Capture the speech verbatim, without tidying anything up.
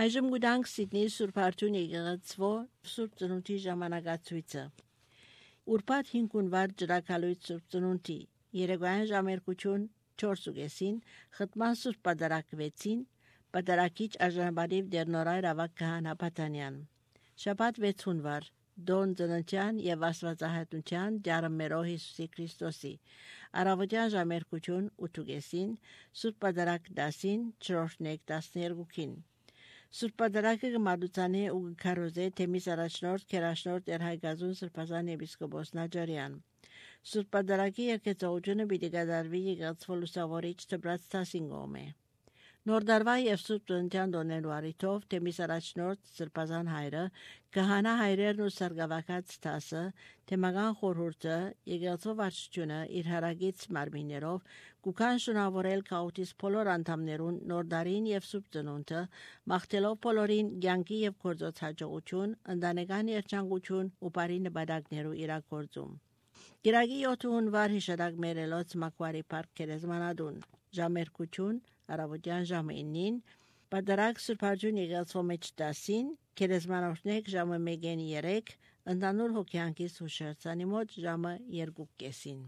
Այժմ գուտանք Սիդնեի Սուրբ Արթուն եկեղեցվո Սուրբ Ծնունդի ժամանակացույցը։ Ուրբաթ հինգունվար ջրակալույց Սուրբ Ծնունդի երեկոյան ժամերկություն չորսուգեսին խտման Սուրբ Պատարակվեցին Պատարակիչ Արժանապատիվ Դերնորայր ավակ Քահանա Փաթանյան։ Շաբաթ վեցունվար Դոն ծննդյան եւ Աստվածահայտնության Ջարմերո Հիսուսի Քրիստոսի առավոտյան ժամերկություն ութուգեսին Սուրբ Պատարակ դասին չորրորդ տասներկուքին Սուրբ Պատարակը գմադուցանի ու գքարոզե թեմիս առաջնորդ քերաշնորդ Երհայգազուն Սրբազան եպիսկոպոս Նաջարյան Սուրբ Պատարակի երկեցողությունը պիտի կատարվի եկեղեցու լուսավորիչ դբրած տասինգոմե Նոր դարվա եւ Սուրբ Ծննդյան դոնելու առիթով թեմիս առաջնորդ Սրբազան հայրը Քահանա հայրերն ու սարգսակած տասը թեմական խորհուրդը եկեղեցու վարչությունը իր հարագից մարմիններով կուքան շնորհավորել քաութիս բոլոր անդամներուն նոր դարին եւ Սուրբ Ծնունդը մաղթելով բոլորին ցանկի եւ գործոց հաջողություն ընտանեկան երջանկություն ու բարի նպատակներու իրագործում Գիրագի յոթունվար հիշադակ մերելոց Մակվարի Պարկ Քերեզմանադուն ժամերկություն առավոտյան ժամը իննին Պատարակ Սուրբ Արթուն եկեղեցու մեջ տասին Քերեզմանորդնեք ժամը մեկին երեք ընդանուր հոգյանքից հուշարձանի մոտ ժամը երկու կեսին